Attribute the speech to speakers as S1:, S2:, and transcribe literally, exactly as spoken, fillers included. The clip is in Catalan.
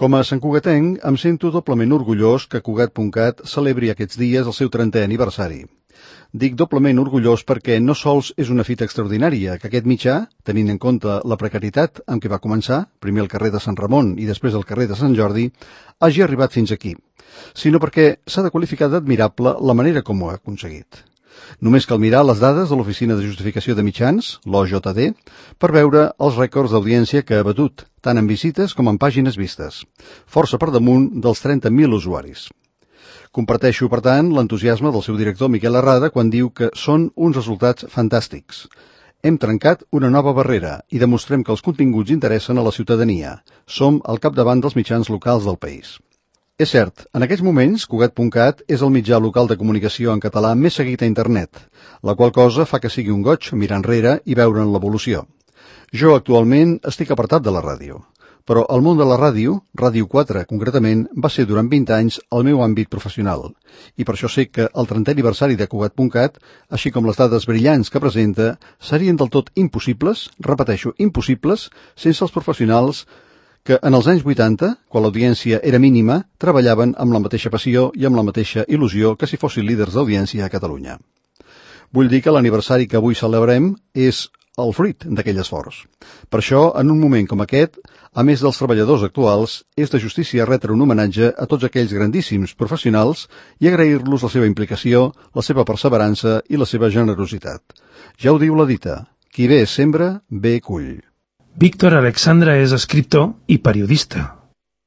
S1: Com a santcugatenc, em sento doblement orgullós que Cugat punt cat celebri aquests dies el seu trentè aniversari. Dic doblement orgullós perquè no sols és una fita extraordinària que aquest mitjà, tenint en compte la precarietat amb què va començar, primer al carrer de Sant Ramon i després al carrer de Sant Jordi, hagi arribat fins aquí, sinó perquè s'ha de qualificar d'admirable la manera com ho ha aconseguit. Només cal mirar les dades de l'Oficina de Justificació de Mitjans, l'O J D, per veure els rècords d'audiència que ha batut, tant en visites com en pàgines vistes, força per damunt dels trenta mil usuaris. Comparteixo, per tant, l'entusiasme del seu director Miquel Arrada quan diu que són uns resultats fantàstics. Hem trencat una nova barrera i demostrem que els continguts interessen a la ciutadania. Som al capdavant dels mitjans locals del país. És cert, en aquests moments, Cugat punt cat és el mitjà local de comunicació en català més seguit a internet, la qual cosa fa que sigui un goig mirar enrere i veure'n l'evolució. Jo actualment estic apartat de la ràdio, però el món de la ràdio, Ràdio quatre concretament, va ser durant vint anys el meu àmbit professional, i per això sé que el trentè aniversari de Cugat punt cat, així com les dades brillants que presenta, serien del tot impossibles, repeteixo, impossibles, sense els professionals que en els anys vuitanta, quan l'audiència era mínima, treballaven amb la mateixa passió i amb la mateixa il·lusió que si fossin líders d'audiència a Catalunya. Vull dir que l'aniversari que avui celebrem és el fruit d'aquell esforç. Per això, en un moment com aquest, a més dels treballadors actuals, és de justícia retre un homenatge a tots aquells grandíssims professionals i agrair-los la seva implicació, la seva perseverança i la seva generositat. Ja ho diu la dita, qui bé sembra, bé cull.
S2: Víctor Alexandra és escriptor i periodista.